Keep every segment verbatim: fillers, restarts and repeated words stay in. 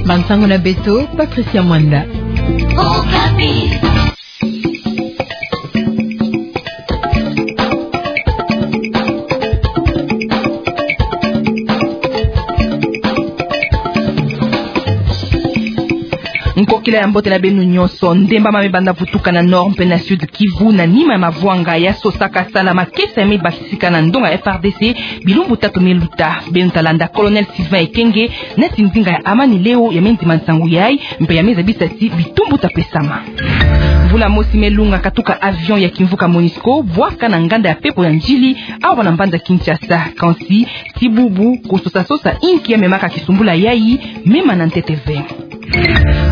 Bansango na beto, Patricia Mwanda. Nkokila ya mbote na beno nyonso. Ndemba mame banda vutuka na Nord mpe na Sud Kivu na nima ya mavwanga ya sosaka sala makesa ya mebakisika na ndonga F R D C bilumbu tatu meluta. Beno ta landa Colonel Sylvain Ekenge, neti ndinga ya Amani Leo, ya mendima nsangu yai, mpe ya mezabisa ti bitumbu ta pesama. Mvula mosi melunga katuka avion ya kimvuka Monusco bwaka na nganda ya pepo ya Ndjili, awa na mbanza Kinshasa. Kansi, ti bubu, kososa-sosa inki ya memaka kisumbula yai, mema na ntete ve.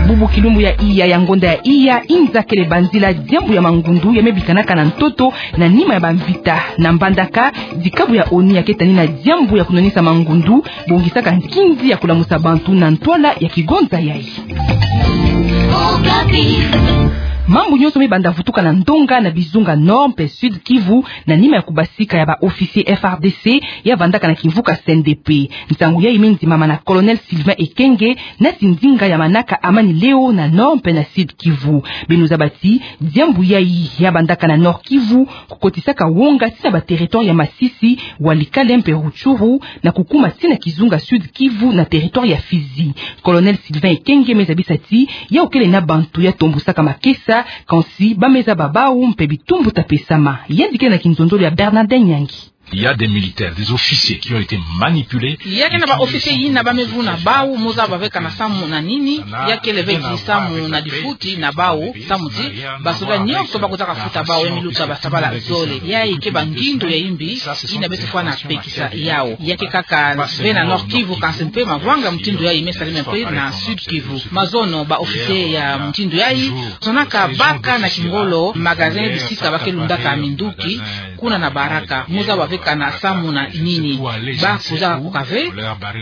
Bubu kilumbu ya iya ya ngonda ya iya, inza kele banzila diambu ya mangundu ya mebikanaka na ntoto na nima ya bamvita. Na Mbandaka, dikabu ya ONU ya keta ni na diambu ya kunwanisa mangundu, bongisaka nkinzi ya kulamusa bantu na ntwala ya kigonza yai. Mambu nyonso mebanda vutuka na ndonga na bizunga Nord mpe Sud Kivu, na nima ya kubasika ya ba officier F R D C ya vandaka na kimvuka C N D P. Nsangu yai mendimama na Colonel Sylvain Ekenge, neti ndinga ya manaka Amani Leo na Nord mpe na Sud Kivu. Beno zaba ti, diambu yai ya bandaka na Nord Kivu, kukotisaka wonga ti na ba territoire ya Masisi, Walikale mpe Rutshuru, na kukuma ti na kizunga Sud Kivu na territoire ya Fizi. Colonel Sylvain Ekenge mezabisa ti, yau kele na bantu ya tombusaka makesa, kansi ba mezaba bau mpe bitumbu ta pesama. Yandi kele na kinzonzolo ya Bernardin Nyangi. Il y a des militaires, des officiers qui ont été manipulés. Ya kele na ba officier yina ba mevuna bau, mo zaba ve kana samu na nini, ya kele ve ti samu na difuti na bau, samu ti, basoda nyonso bakozaka futa bau, ya miluta basabala zole. Yai ke ba ngindu ya imbi, yina beto fwana pekisa yau. Ya ke kaka ve na Nord Kivu, kansi mpe mavwanga mutindu yai mesalama mpe na Sud Kivu. Mazono ba officier ya mutindu yai, sonaka baka na kingolo magasin bisika ba ke lundaka minduki, kuna na Baraka, mo zaba ve kana samu na nini. Bakozaka koka ve,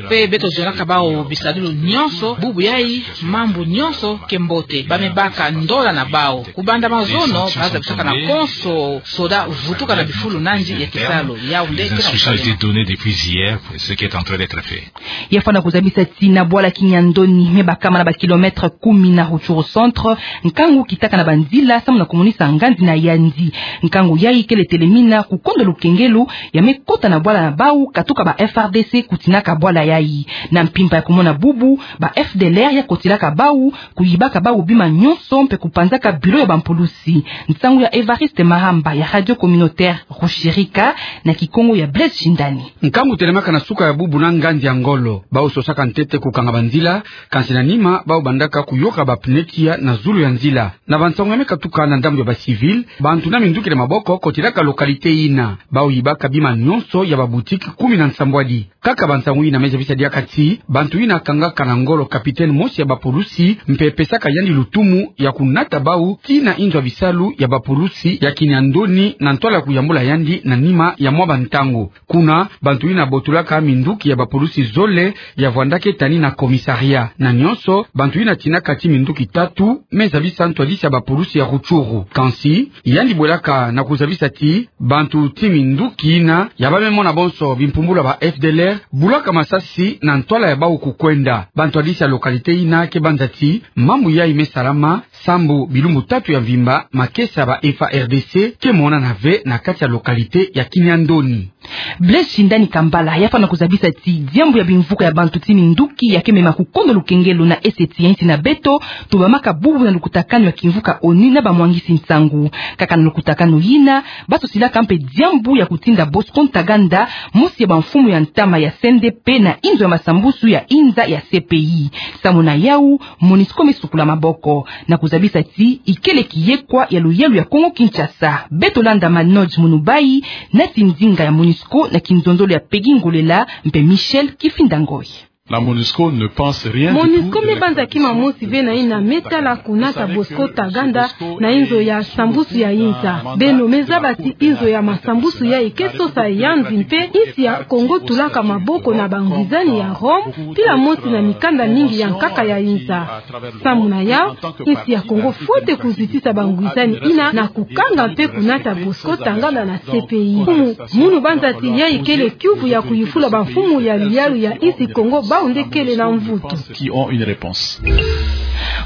mpe beto zonaka bau bisadulu nyonso, bubu yai, mambu nyonso ke mbote, ba mebaka ndola na bau. Kubanda mazono, ba zabisaka na konso soda vutuka na bifulu nandi ya kisalu, yau nde ke na kusalema. Données depuis hier, ce qui est en train d'être fait. Ya fwana kuzabisa ti na bwala Kiniandoni, mebakama na ba kilomètre kumi na Rutshuru centre, nkangu kitaka na banzila, samu na kumonisa ngandi na yandi. Nkangu yai kele telemina, kukondo lukengelo, ya mekota na bwala na bau, katuka ba F R D C kutinaka bwala yai. Na mpimpa ya kumona bubu, ba F D L R ya kotilaka bau, kuyibaka bau bima nyonso mpe kupanzaka bilo ya bampulusi. Nsangu ya Evariste Mahamba ya Radio Communautaire Rushirika na Kikongo ya Blaise Shindani. Nkangu telemaka na suka ya bubu na ngandi ya ngolo. Bau sosaka ntete kukanga banzila, kansi na nima, bau bandaka kuyoka ba pneu tiya na zulu ya nzila. Na bansangu ya mekatuka na ndambu ya ba civil, bantu na minduki na maboko kotilaka localité yina. Bau yibaka bima nyonso ya ba boutique kumi na nsambwadi. Kaka bansangu yina mezabisa diaka ti, bantu yina kangaka na ngolo capitaine mosi ya bapulusi, mpe pesaka yandi lutumu ya kunata bau tii na inzo ya bisalu ya bapulusi ya Kiniandoni na ntwala kuyambula yandi na nima ya mwa bantangu. Kuna, bantu yina botulaka minduki ya bapulusi zole ya vwandaka tani na commissariat. Na nyonso, bantu yina tinaka tii minduki tatu, mezabisa ntwadisi ya bapulusi ya Rutshuru. Kansi, yandi bwelaka na kuzabisa ti, bantu tii minduki yina, ya ba memona bonso bimpumbulu ya ba F D L R, bulaka masasi na ntwala ya bau kukwenda. Bantwadisi ya localité yina ke banza ti, mambu yai mesalama, sambu bilumbu tatu ya mvimba, makesa ya ba F A R D C ke monana ve na kati ya localité ya Kiniandoni. Blaise Shindani Kambala, ya fwana kuzabisa ti, diambu ya bimvuka ya bantu tii minduki ya ke mema kukondo lukengelo na esti ya insi na beto, tubamaka bubu na lukutakanu ya kimvuka ONU na bamwangisi nsangu. Kaka na lukutakanu yina, basosilaka mpe diambu ya kutinda Bosco Ntaganda, mosi ya bamfumu ya ntama ya C N D P na inzo ya masambusu ya inza ya C P I. Samu na yau, Monusco mesukula maboko, na kuzabisa ti ikele kiyekwa ya luyalu ya Kongo Kinshasa. Beto landa Manoj Munubai, neti ndinga ya Monusco na kinzonzolo ya Peggy Ngolela mpe Michel Kifinda Ngoy. La MONUSCO ne pense rien du tout. MONUSCO me banza kima mosi ve na yina me tala kunata Bosco Ntaganda na inzo ya sambusu ya inza. Beno me zaba ti inzo ya masambusu yayi ke sosa yanzi mpe insi ya Congo tulaka maboko na bangwizani ya Rome, pila mosi na mikanda mingi ya nkaka ya inza. Samu na yawu, insi ya Congo fwete kuzitisa bangwizani yina na kukanga mpe kunata Bosco Ntaganda na C P I. Mfumu, munu banza ti yayi kele kiuvu ya kuyufula bamfumu ya luyalu ya insi Congo bawu nde kele na mvutu. Qui ont une réponse.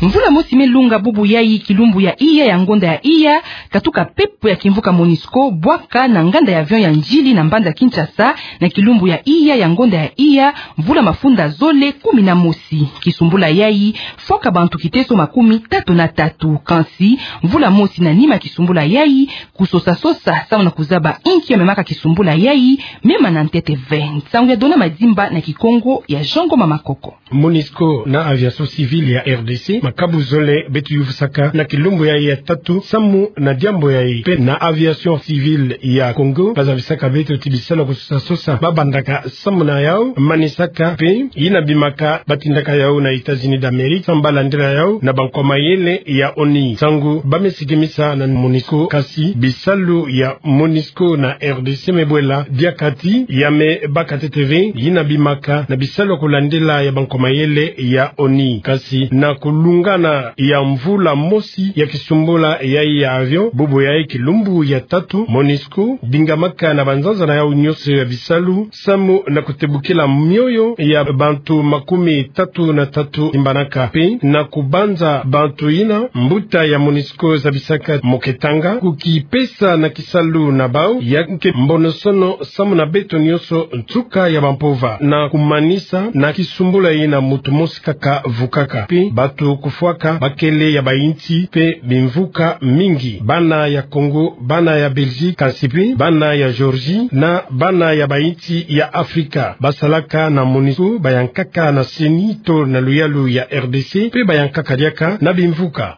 Mvula mosi me lunga bubu yayi kilumbu ya iya ya ngonda ya iya, katuka pepo ya kimvuka MONUSCO bwaka na nganda ya avion ya Ndjili na mbanza Kinshasa, na kilumbu ya iya ya ngonda ya iya, mvula mafunda zole kumi na mosi. Kisumbula yayi fwaka bantu kiteso makumi tatu na tatu. Kansi, mvula mosi na nima kisumbula yayi, kusosa-sosa samu na kuzaba inki ya memaka kisumbula yayi, mema na ntete ve. Nsangu ya Dona Madimba na Kikongo ya Jean Ngoma Makoko. MONUSCO na aviation civile ya R D C, makabu zole beto yufusaka na kilumbu yayi ya tatu samu na diambu yayi. Mpe na aviation civile ya Congo, bazabisaka beto ti bisalu ya kusosa-sosa babandaka samu na yawu, manisaka mpe yina bimaka batindaka yawu na États-Unis d'Amérique, samu balandila yawu na bankwa mayele ya ONU. Nsangu ba me sikimisa na MONUSCO, kansi bisalu ya MONUSCO na R D C me bwela diaka ti ya me baka ntete ve yina bimaka na bisalu ya kulandila ya bankwa mayele ya ONU. Kansi na kulungana ya mvula mosi ya kisumbula yayi ya avion, bubu yayi kilumbu ya tatu, MONUSCO dingamaka na banzanza na yawu nyonso ya bisalu samu na kutebukila mioyo ya bantu makumi tatu na tatu imbanaka, mpe na kubanza bantu yina mbuta ya MONUSCO zabisaka moketanga kukipesa na kisalu na bawu, ya ke mbonosono samu na beto nyonso nsuka ya bampova. Na kumanisa, na kisumbula yina muntu mosi kaka vukaka, mpe bantu kufwaka bakele ya bayinsi mpe bimvuka mingi, bana ya Congo, bana ya Belgique, kansi mpe bana ya Géorgie na bana ya bayinsi ya Afrika. Basalaka na MONUSCO bayankaka na CENI to na luyalu ya R D C, mpe bayankaka diaka na bimvuka.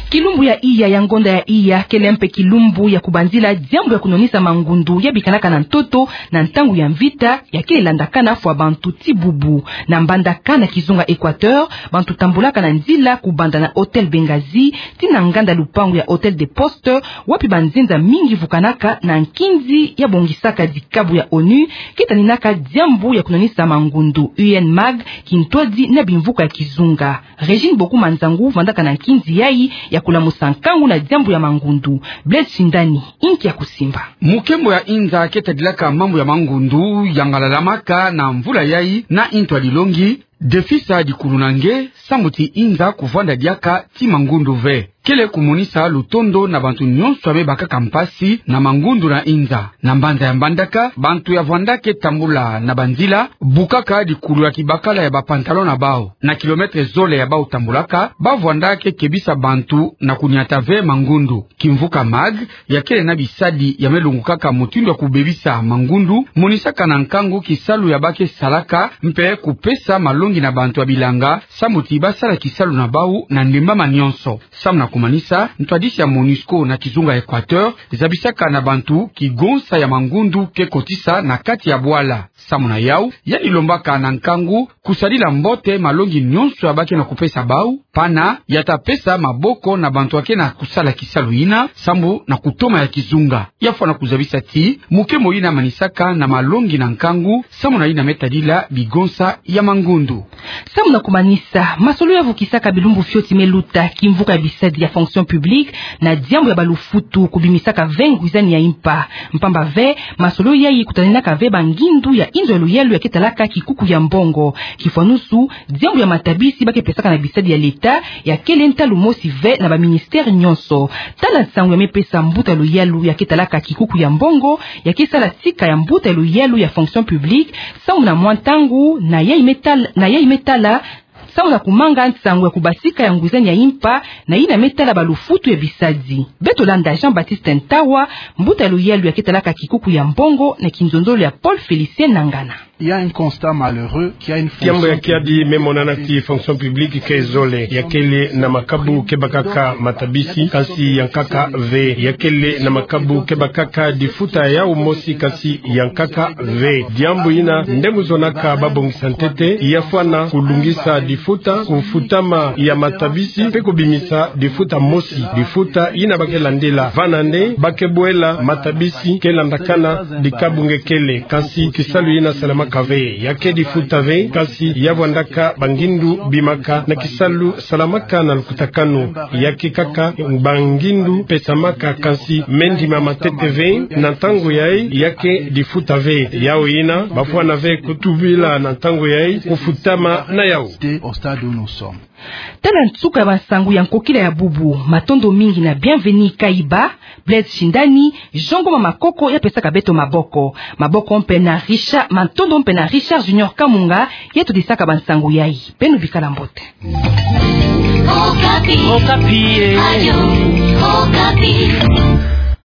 Kilumbu ya iya ya ngonda ya iya kele mpe kilumbu ya kubanzila diambu ya kunonisa mangundu ya bikanaka na ntoto na ntangu ya mvita, ya ke landakana fwa bantu ti bubu. Na mbandaka na kizunga Équateur, bantu tambulaka na nzila kubanda na Hôtel Benghazi tii na nganda lupangu ya Hôtel des Postes, wapi banzenza mingi vukanaka na nkinzi ya bongisaka dikabu ya ONU ke taninaka diambu ya kunonisa mangundu, UNMAG, kintwadi na bimvuka ya kizunga. Régine Bokuma Nzangu vandaka na nkinzi yayi ya kulamusa nkangu na diambu ya mangundu. Blaise Shindani, inki ya kusimba. Mukembo ya inza ke tadilaka mambu ya mangundu yangalalamaka na mvula yayi na intwadi longi, defisa dikulunange, samu ti inza kuvwanda diaka ti mangundu ve. Kele kumonisa lutondo na bantu nyonso ya me bakaka mpasi na mangundu na inza. Na mbanza ya mbandaka, bantu ya vwanda ke tambula na banzila, bukaka dikulu ya kibakala ya bapantalon na bawu. Na kilomètre zole ya bawu tambulaka, ba vwanda ke kebisa bantu na kunyata ve mangundu. Kimvuka MAG, ya kele na bisadi ya me longukaka mutindu ya kubebisa mangundu, monisaka na nkangu kisalu ya ba ke salaka, mpe kupesa malongi na bantu ya bilanga, samu ti ba sala kisalu na bawu na ndembama nyonso. Samu na kumanisa, ntwadisi ya MONUSCO na kizunga Équateur zabisaka na bantu kigonsa ya mangundu ke kotisa na kati ya bwala. Samu na yawu, yayi lombaka na nkangu kusadila mbote malongi nyonso ya ba ke na kupesa bawu, pana ya ta pesa maboko na bantu ya ke na kusala kisalu yina, samu na kutoma ya kizunga. Ya fwana kuzabisa ti mukembo yina manisaka na malongi na nkangu, samu na yina me tadila bigonsa ya mangundu. Samu na kumanisa, masolo ya vukisaka bilumbu fioti me luta, kimvuka ya bisadi ya fonction publique na diambu ya balufutu kubimisaka ve ngwizani ya impa. Mpamba ve, masolo yayi kutaninaka ve bangindu ya inzo ya luyalu ya ke talaka kikuku ya mbongo. Kifwanusu, diambu ya matabisi ba ke pesaka na bisadi ya leta ya kele ntalu mosi ve na baministère nyonso. Tala nsangu ya me pesa mbuta ya luyalu ya ke talaka kikuku ya mbongo, ya ke sala sika ya mbuta ya luyalu ya fonction publique, samu na mwa ntangu, na yayi me tal-, na yayi me tala samu na kumanga nsangu ya kubasika ya nguzani ya impa na yina me tala balufutu ya bisadi. Beto landa Jean-Baptiste Ntawa, mbuta ya luyalu ya ke talaka kikuku ya mbongo na kinzonzolo ya Paul Félicien Nangana. Il y a un constat malheureux qui a une fonction... Kiambu ya kiadi me monana ti fonction publique ke zole, ya kele na makabu ke bakaka matabisi, kasi ya nkaka ve. Ya kele na makabu ke bakaka difuta yau mosi, kasi ya nkaka ve. Diambu yina nde mu zonaka babongisa ntete, ya fwana kulungisa difuta, kufutama ya matabisi, mpe kubimisa difuta mosi. Difuta yina ba ke landila. Vana nde ba ke bwela matabisi ke landakana dikabu nge kele, kasi kisalu yina salamaka ve. Ya ke difuta ve, kasi ya vwandaka bangindu bimaka na kisalu salamaka na lukutakanu. Ya ke kaka bangindu pesamaka, kasi me ndima matete ve na ntangu yayi, ya ke difuta ve. Yau yina ba fwana ve kutubila na ntangu yayi kufutama na yau. Au stade où nous sommes. Tala nsuka ya bansangu ya nkokila ya bubu. Matondo mingi na Bienvenu Kaiba, Blaise Shindani, Jean Ngoma Makoko ya pesaka beto maboko. Maboko mpe na Richard, matondo mpe na Richard Junior Kamunga, ya todisaka bansangu yayi. Beno bikala mbote. Okapi. Okapi, eh. Radio Okapi.